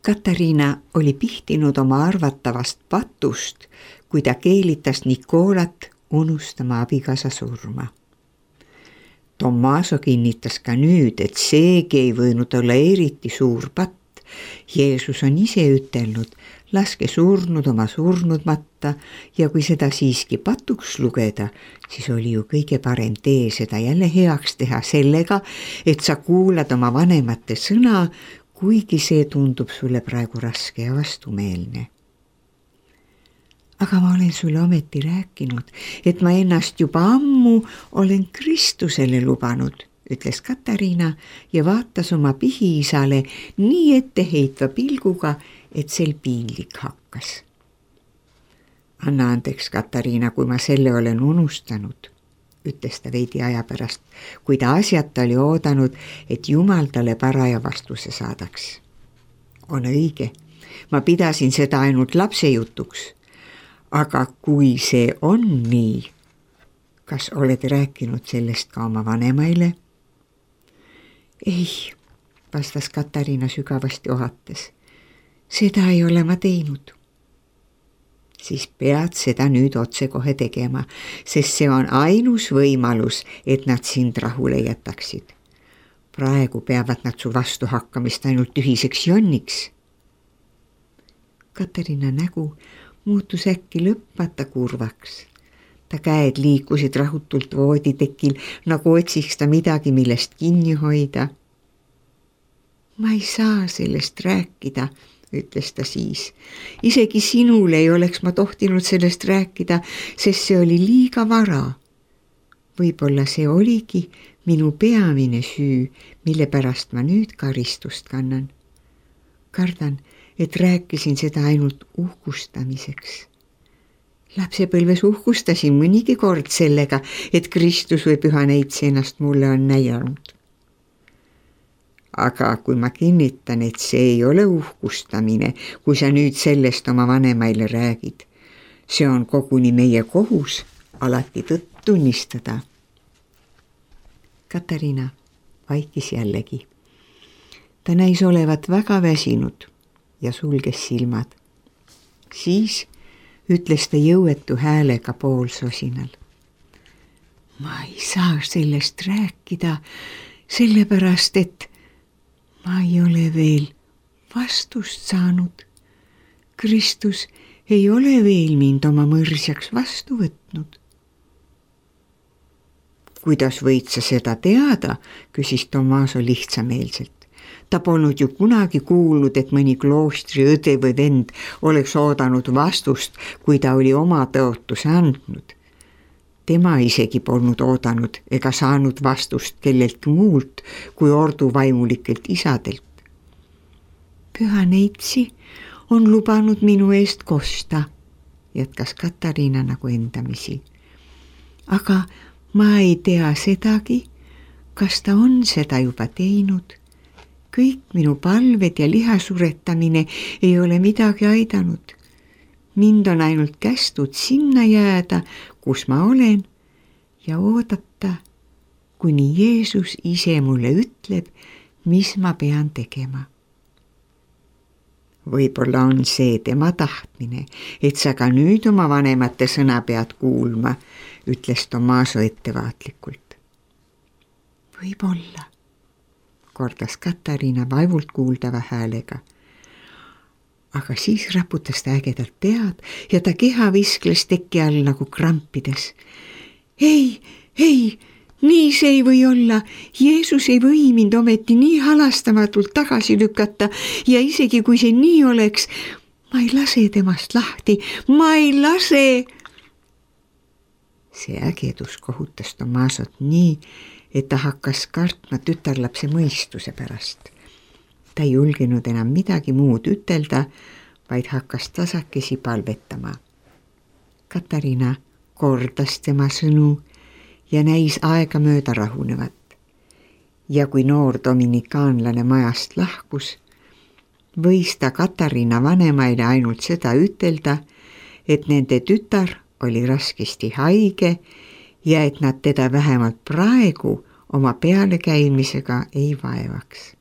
Katariina oli pihtinud oma arvatavast patust, kui ta keelitas Nikolat unustama abikaasa surma. Tommaso kinnitas ka nüüd, et seegi ei võinud olla eriti suur patt. Jeesus on ise ütelnud, laske surnud oma surnud matta ja kui seda siiski patuks lugeda, siis oli ju kõige parem tee seda jälle heaks teha sellega, et sa kuulad oma vanemate sõna, kuigi see tundub sulle praegu raske ja vastumeelne. Aga ma olen sulle ometi rääkinud, et ma ennast juba ammu olen Kristusele lubanud, ütles Katariina ja vaatas oma pihiisale nii etteheitva pilguga, et sel piinlik hakkas. Anna andeks, Katariina, kui ma selle olen unustanud, ütles ta veidi aja pärast, kui ta asjata oli oodanud, et Jumal talle paraja vastuse saadaks. On õige, ma pidasin seda ainult lapsejutuks. Aga kui see on nii, kas oled rääkinud sellest ka oma vanemaile? Ei, vastas Katariina sügavasti ohates. Seda ei ole ma teinud. Siis pead seda nüüd otsekohe tegema, sest see on ainus võimalus, et nad sind rahule jätaksid. Praegu peavad nad su vastu hakkamist ainult tühiseks jonniks. Katariina nägu muutus äkki lõpmata kurvaks. Ta käed liikusid rahutult vooditekil, nagu otsiks ta midagi, millest kinni hoida. Ma ei saa sellest rääkida, ütles ta siis. Isegi sinule ei oleks ma tohtinud sellest rääkida, sest see oli liiga vara. Võib-olla see oligi minu peamine süü, mille pärast ma nüüd karistust kannan. Kardan, et rääkisin seda ainult uhkustamiseks. Lapsepõlves uhkustasin mõnigi kord sellega, et Kristus või Püha Neitsi ennast mulle on näidanud. Aga kui ma kinnitan, et see ei ole uhkustamine, kui sa nüüd sellest oma vanemaile räägid, see on koguni meie kohus alati tõtt tunnistada. Katariina vaikis jällegi. Ta näis olevat väga väsinud ja sulges silmad. Siis ütles ta jõuetu häälega poolsosinal. Ma ei saa sellest rääkida, sellepärast, et ma ei ole veel vastust saanud. Kristus ei ole veel mind oma mõrsjaks vastu võtnud. Kuidas võid sa seda teada, küsis Tommaso lihtsameelselt. Ta polnud ju kunagi kuulnud, et mõni kloostri õde või vend oleks oodanud vastust, kui ta oli oma tõotuse andnud. Tema isegi polnud oodanud ega saanud vastust kelleltki muult kui orduvaimulikelt isadelt. Püha Neitsi on lubanud minu eest kosta, jätkas Katariina nagu endamisi. Aga ma ei tea sedagi, kas ta on seda juba teinud. Kõik minu palved ja lihasuretamine ei ole midagi aidanud. Mind on ainult kästud sinna jääda, kus ma olen, ja oodata, kuni Jeesus ise mulle ütleb, mis ma pean tegema. Võib-olla on see tema tahtmine, et sa ka nüüd oma vanemate sõna pead kuulma, ütles Tommaso ettevaatlikult. Võib-olla, kordas Katariina vaevult kuuldava häälega. Aga siis raputas ta ägedalt pead ja ta keha viskles teki all nagu krampides. Ei, nii see ei või olla. Jeesus ei või mind ometi nii halastamatult tagasi lükata ja isegi kui see nii oleks, ma ei lase temast lahti, ma ei lase. See ägedus kohutas Tommasot nii, et ta hakkas kartma tütarlapse mõistuse pärast. Ta ei julgenud enam midagi muud ütelda, vaid hakkas tasakesi palvetama. Katariina kordas tema sõnu ja näis aegamööda rahunevat. Ja kui noor dominikaanlane majast lahkus, võis ta Katariina vanemaile ainult seda ütelda, et nende tütar oli raskesti haige ja et nad teda vähemalt praegu oma pealekäimisega ei vaevaks.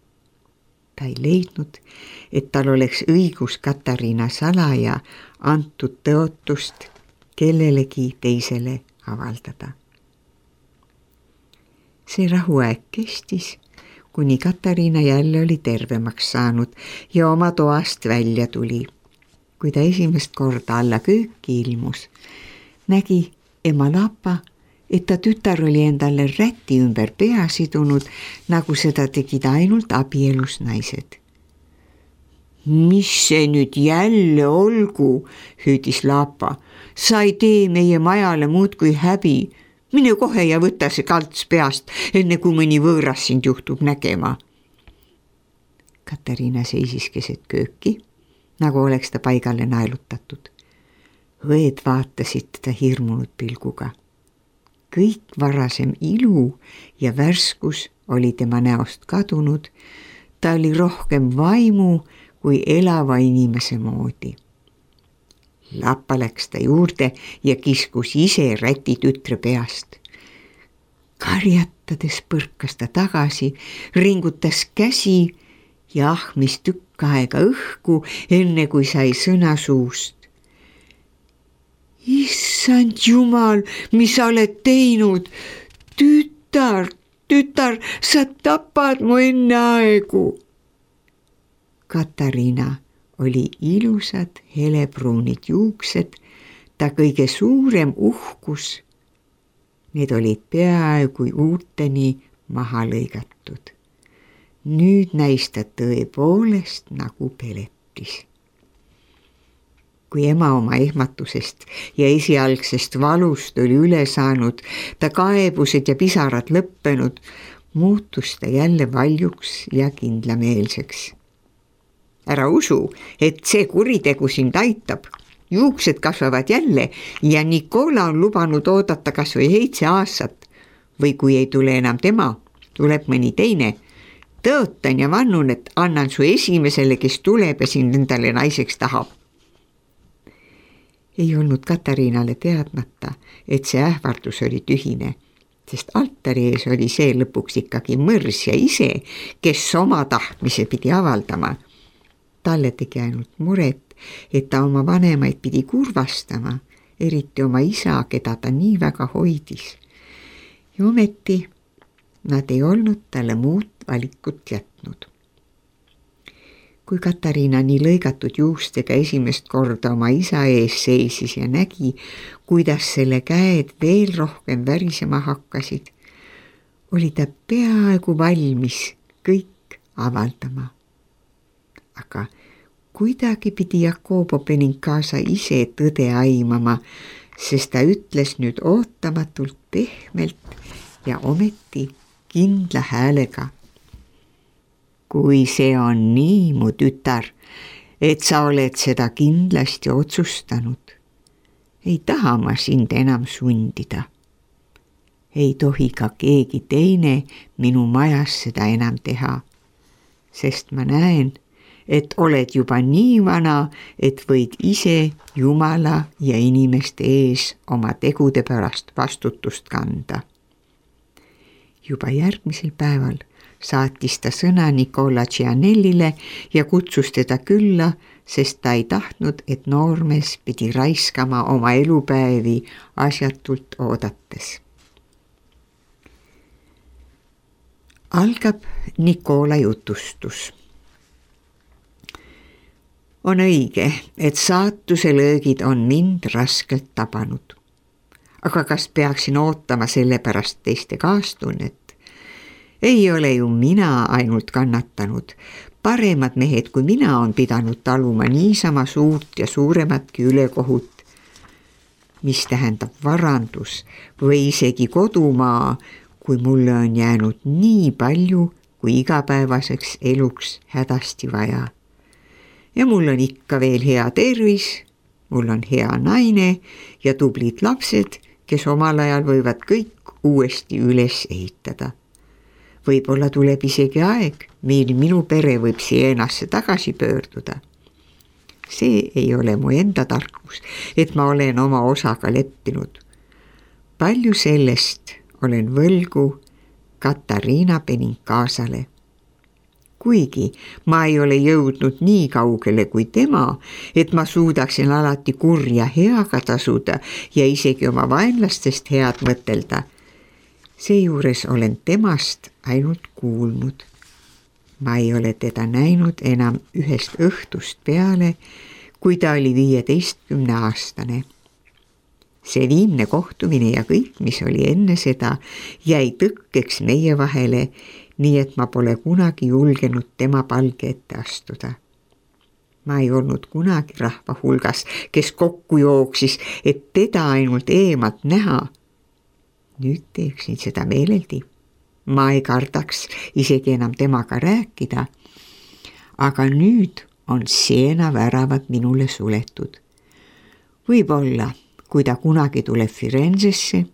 Ta ei leidnud, et tal oleks õigus Katariina salaja antud tõotust kellelegi teisele avaldada. See rahuaeg kestis, kuni Katariina jälle oli tervemaks saanud ja oma toast välja tuli. Kui ta esimest korda alla kööki ilmus, nägi ema Lapa, et ta tütar oli endale räti ümber pea sidunud, nagu seda tegid ainult abielus naised. Mis see nüüd jälle olgu, hüüdis Lapa. Sa ei tee meie majale muud kui häbi. Mine kohe ja võta see kalts peast, enne kui mõni võõras sind juhtub nägema. Katariina seisis keset kööki, nagu oleks ta paigale naelutatud. Õed vaatasid teda hirmunud pilguga. Kõik varasem ilu ja värskus oli tema näost kadunud. Ta oli rohkem vaimu kui elava inimese moodi. Lapa läks ta juurde ja kiskus ise räti tütre peast. Karjatades põrkas ta tagasi, ringutas käsi ja ahmis tükk aega õhku, enne kui sai sõna suust. Issand Jumal, mis sa oled teinud? Tütar, sa tapad mu enne aegu. Katariina oli ilusad helebruunid juuksed, ta kõige suurem uhkus. Need olid peaaegu uuteni maha lõigatud. Nüüd näis ta tõepoolest nagu peletis. Kui ema oma ehmatusest ja esialgsest valust oli üle saanud, ta kaebused ja pisarad lõppenud, muutus ta jälle valjuks ja kindlameelseks. Ära usu, et see kuritegu sind aitab. Juuksed kasvavad jälle ja Nikola on lubanud oodata kas või 7 aastat. Või kui ei tule enam tema, tuleb mõni teine. Tõotan ja vannun, et annan su esimesele, kes tuleb ja sind endale naiseks tahab. Ei olnud Katariinale teadmata, et see ähvardus oli tühine, sest altari ees oli see lõpuks ikkagi mõrs ja ise, kes oma tahtmise pidi avaldama. Talle tegi ainult muret, et ta oma vanemaid pidi kurvastama, eriti oma isa, keda ta nii väga hoidis. Ja ometi nad ei olnud talle muud valikut jätnud. Kui Katariina nii lõigatud juustega esimest korda oma isa ees seisis ja nägi, kuidas selle käed veel rohkem värisema hakkasid, oli ta peaaegu valmis kõik avaldama. Aga kuidagi pidi Jakobo Benincasa ise tõde aimama, sest ta ütles nüüd ootamatult pehmelt ja ometi kindla häälega. Kui see on nii, mu tütar, et sa oled seda kindlasti otsustanud, ei taha ma sind enam sundida. Ei tohi ka keegi teine minu majas seda enam teha, sest ma näen, et oled juba nii vana, et võid ise Jumala ja inimeste ees oma tegude pärast vastutust kanda. Juba järgmisel päeval saatis ta sõna Nicola Gianellile ja kutsus teda külla, sest ta ei tahtnud, et noormees pidi raiskama oma elupäevi asjatult oodates. Algab Nicola jutustus. On õige, et saatuse löögid on mind raskelt tabanud. Aga kas peaksin ootama selle pärast teiste kaastunnet? Ei ole ju mina ainult kannatanud. Paremad mehed kui mina on pidanud taluma niisama suurt ja suurematki ülekohut, mis tähendab varandus või isegi kodumaa, kui mulle on jäänud nii palju kui igapäevaseks eluks hädasti vaja. Ja mul on ikka veel hea tervis, mul on hea naine ja tublid lapsed, kes omal ajal võivad kõik uuesti üles ehitada. Võib-olla tuleb isegi aeg, mil minu pere võib Sienasse tagasi pöörduda. See ei ole mu enda tarkus, et ma olen oma osaga leppinud. Palju sellest olen võlgu Katariina Benincasale. kuigi ma ei ole jõudnud nii kaugele kui tema, et ma suudaksin alati kurja heaga tasuda ja isegi oma vaenlastest head mõtelda. Seejuures olen temast ainult kuulnud. Ma ei ole teda näinud enam ühest õhtust peale, kui ta oli 15-aastane. See viimne kohtumine ja kõik, mis oli enne seda, jäi tõkkeks meie vahele, nii et ma pole kunagi julgenud tema palge ette astuda. Ma ei olnud kunagi rahva hulgas, kes kokku jooksis, et teda ainult eemalt näha. Nüüd teeksin seda meeleldi. Ma ei kardaks isegi enam temaga rääkida, aga nüüd on seena väravad minule suletud. Võib-olla, kui ta kunagi tuleb Firenzesse,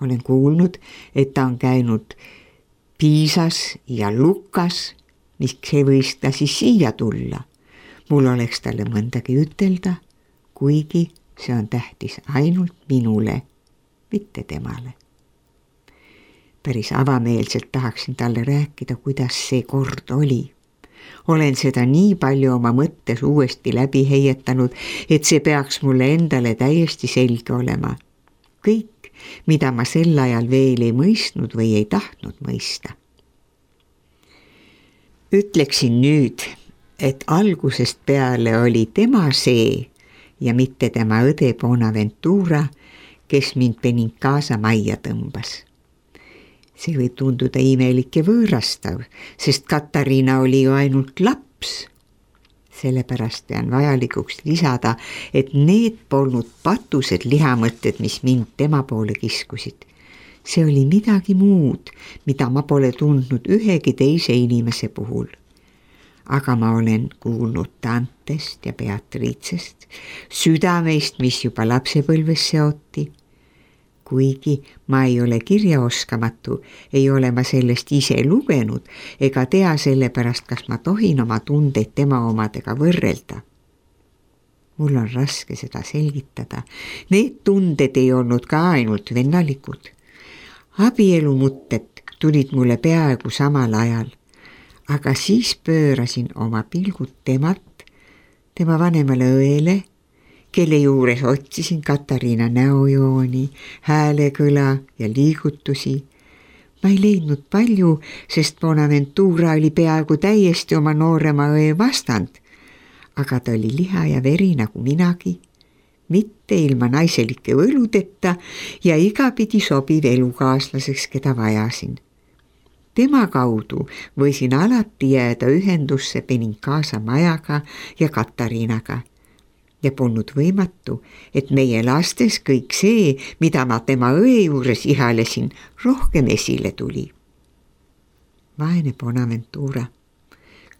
olen kuulnud, et ta on käinud Piisas ja Lukas, miks ei võis ta siis siia tulla. Mul oleks talle mõndagi ütelda, kuigi see on tähtis ainult minule, mitte temale. Päris avameelselt tahaksin talle rääkida, kuidas see kord oli. Olen seda nii palju oma mõttes uuesti läbi heietanud, et see peaks mulle endale täiesti selge olema. Kõik, mida ma sel ajal veel ei mõistnud või ei tahtnud mõista. Ütleksin nüüd, et algusest peale oli tema see ja mitte tema õde Bonaventura, kes mind Benincasa majja tõmbas. See võib tunduda imelik ja võõrastav, sest Katariina oli ju ainult laps. Sellepärast pean vajalikuks lisada, et need polnud patused lihamõtted, mis mind tema poole kiskusid. See oli midagi muud, mida ma pole tundnud ühegi teise inimese puhul. Aga ma olen kuulnud Dantest ja Beatricest, südameist, mis juba lapsepõlves seoti. Kuigi ma ei ole kirjaoskamatu, ei ole ma sellest ise lugenud ega tea sellepärast, kas ma tohin oma tundeid tema omadega võrrelda. Mul on raske seda selgitada. Need tunded ei olnud ka ainult vennalikud. Abielumutted tulid mulle peaaegu samal ajal, aga siis pöörasin oma pilgud temalt, tema vanemale õele, kelle juures otsisin Katariina näojooni, häälekõla ja liigutusi. Ma ei leidnud palju, sest Bonaventura oli peaaegu täiesti oma noorema õe vastand, aga ta oli liha ja veri nagu minagi, mitte ilma naiselike võludeta ja igapidi sobiv elukaaslaseks, keda vajasin. Tema kaudu võisin alati jääda ühendusse Benincasa majaga ja Katariinaga. Ja polnud võimatu, et meie lastes kõik see, mida ma tema õe juures ihalesin, rohkem esile tuli. Vaene Bonaventura.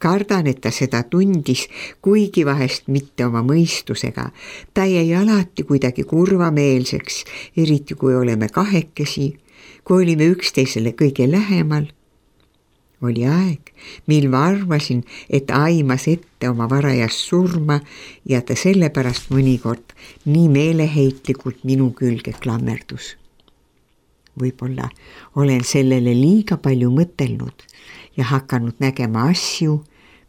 Kardan, et ta seda tundis, kuigi vahest mitte oma mõistusega. Ta jäi alati kuidagi kurvameelseks, eriti kui oleme kahekesi, kui olime üksteisele kõige lähemal. Oli aeg, mil ma arvasin, et aimas ette oma varajast surma ja ta sellepärast mõnikord nii meeleheitlikult minu külge klammerdus. Võib-olla olen sellele liiga palju mõtelnud ja hakanud nägema asju,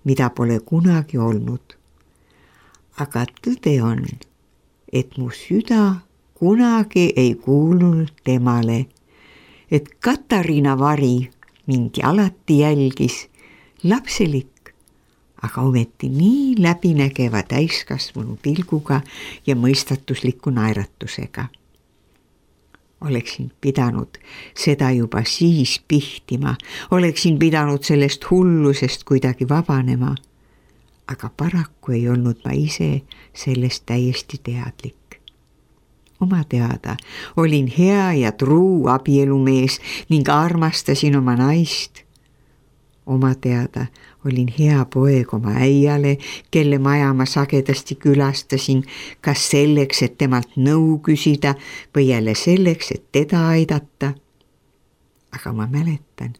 mida pole kunagi olnud. Aga tõde on, et mu süda kunagi ei kuulunud temale, et Katariina vari mind alati jälgis, lapselik, aga ometi nii läbinägeva täiskasvanu pilguga ja mõistatusliku naeratusega. Oleksin pidanud seda juba siis pihtima, oleksin pidanud sellest hullusest kuidagi vabanema, aga paraku ei olnud ma ise sellest täiesti teadlik. Oma teada olin hea ja truu abielumees ning armastasin oma naist. Oma teada olin hea poeg oma äiale, kelle maja ma sagedasti külastasin, kas selleks, et temalt nõu küsida või jälle selleks, et teda aidata. Aga ma mäletan,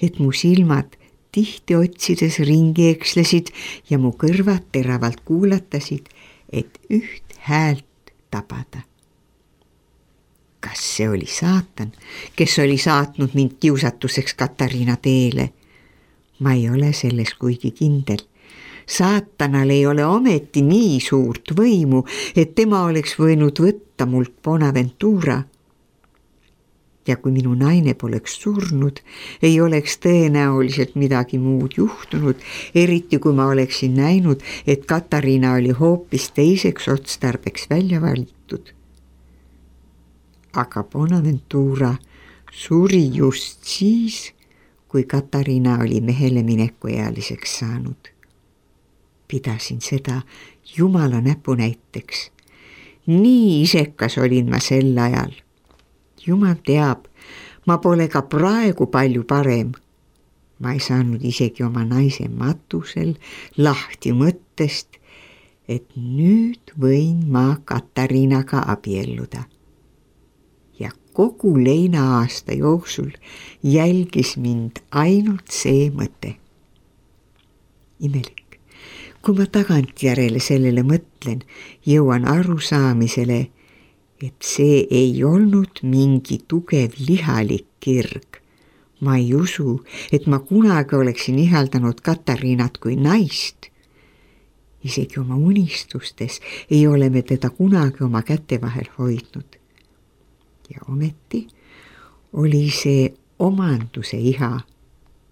et mu silmad tihti otsides ringi ekslesid ja mu kõrvad teravalt kuulatasid, et üht häält tabada. Kas see oli saatan, kes oli saatnud mind kiusatuseks Katariina teele? Ma ei ole selles kuigi kindel. Saatanal ei ole ometi nii suurt võimu, et tema oleks võinud võtta mult Bonaventura. Ja kui minu naine poleks surnud, ei oleks tõenäoliselt midagi muud juhtunud, eriti kui ma oleksin näinud, et Katariina oli hoopis teiseks otstarbeks välja valitud. Aga Bonaventura suri just siis, kui Katariina oli mehele minekuealiseks saanud. Pidasin seda Jumala näpunäiteks. Nii isekas olin ma sel ajal. Jumal teab, ma pole ka praegu palju parem. Ma ei saanud isegi oma naise matusel lahti mõttest, et nüüd võin ma Katariinaga abielluda. Ja kogu leinaaasta jooksul jälgis mind ainult see mõte. Imelik. Kui ma tagantjärele sellele mõtlen, jõuan arusaamisele, et see ei olnud mingi tugev lihalik kirg. Ma ei usu, et ma kunagi oleksin ihaldanud Katariinat kui naist. Isegi oma unistustes ei ole me teda kunagi oma käte vahel hoidnud. Ja ometi oli see omanduse iha,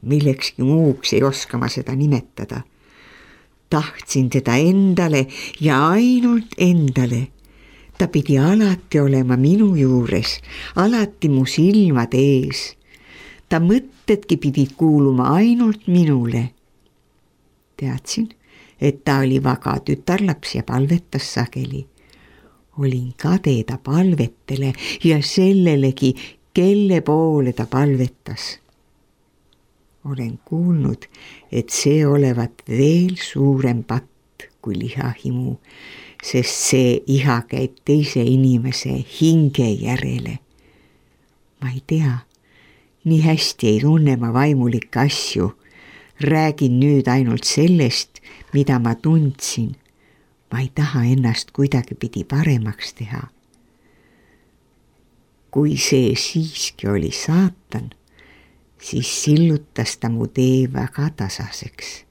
millekski muuks ei oska ma seda nimetada. Tahtsin teda endale ja ainult endale. Ta pidi alati olema minu juures, alati mu silmad ees. Ta mõtedki pidid kuuluma ainult minule. Teadsin, et ta oli vaga tütarlaps ja palvetas sageli. Olin kade ta palvetele ja sellelegi, kelle poole ta palvetas. Olen kuulnud, et see olevat veel suurem patt kui lihahimu, sest see iha käib teise inimese hinge järele. Ma ei tea, nii hästi ei tunne ma vaimulikke asju. Räägin nüüd ainult sellest, mida ma tundsin. Ma ei taha ennast kuidagipidi paremaks teha. Kui see siiski oli saatan, siis sillutas ta mu tee väga tasaseks.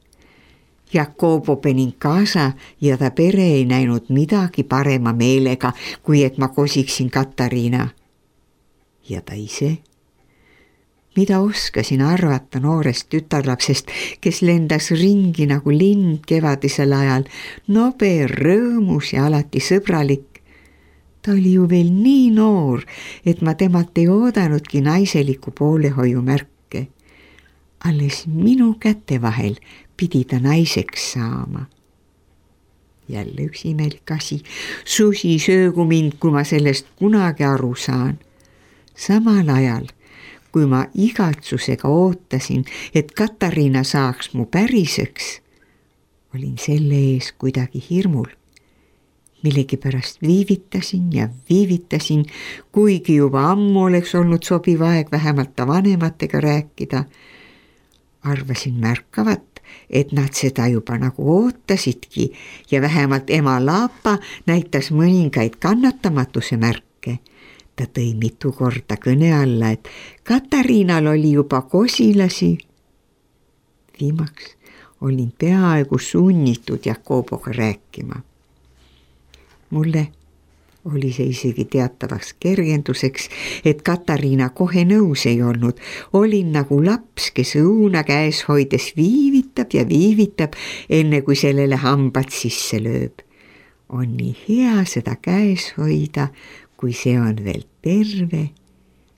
Jakobo Benincasa ja ta pere ei näinud midagi parema meelega, kui et ma kosiksin Katariina. Ja ta ise? Mida oskasin arvata noorest tütarlapsest, kes lendas ringi nagu lind kevadisel ajal, nobe, rõõmus ja alati sõbralik. Ta oli ju veel nii noor, et ma temalt ei oodanudki naiseliku poolehoiu märke. Alles minu käte vahel pidi ta naiseks saama. Jälle üks imelik asi. Susi söögu mind, kui ma sellest kunagi aru saan. Samal ajal, kui ma igatsusega ootasin, et Katariina saaks mu päriseks, olin selle ees kuidagi hirmul. Millegipärast viivitasin ja viivitasin, kuigi juba ammu oleks olnud sobiv aeg vähemalt ta vanematega rääkida. Arvasin märkavat, et nad seda juba nagu ootasidki ja vähemalt ema Laapa näitas mõningaid kannatamatuse märke. Ta tõi mitu korda kõne alla, et Katariinal oli juba kosilasi. Viimaks olin peaaegu sunnitud Jakoboga rääkima. Mulle oli see isegi teatavaks kergenduseks, et Katariina kohe nõus ei olnud. Olin nagu laps, kes õuna käes hoides viivitab ja viivitab, enne kui sellele hambad sisse lööb. On nii hea seda käes hoida, kui see on veel terve,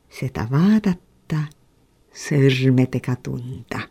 seda vaadata, sõrmedega tunda.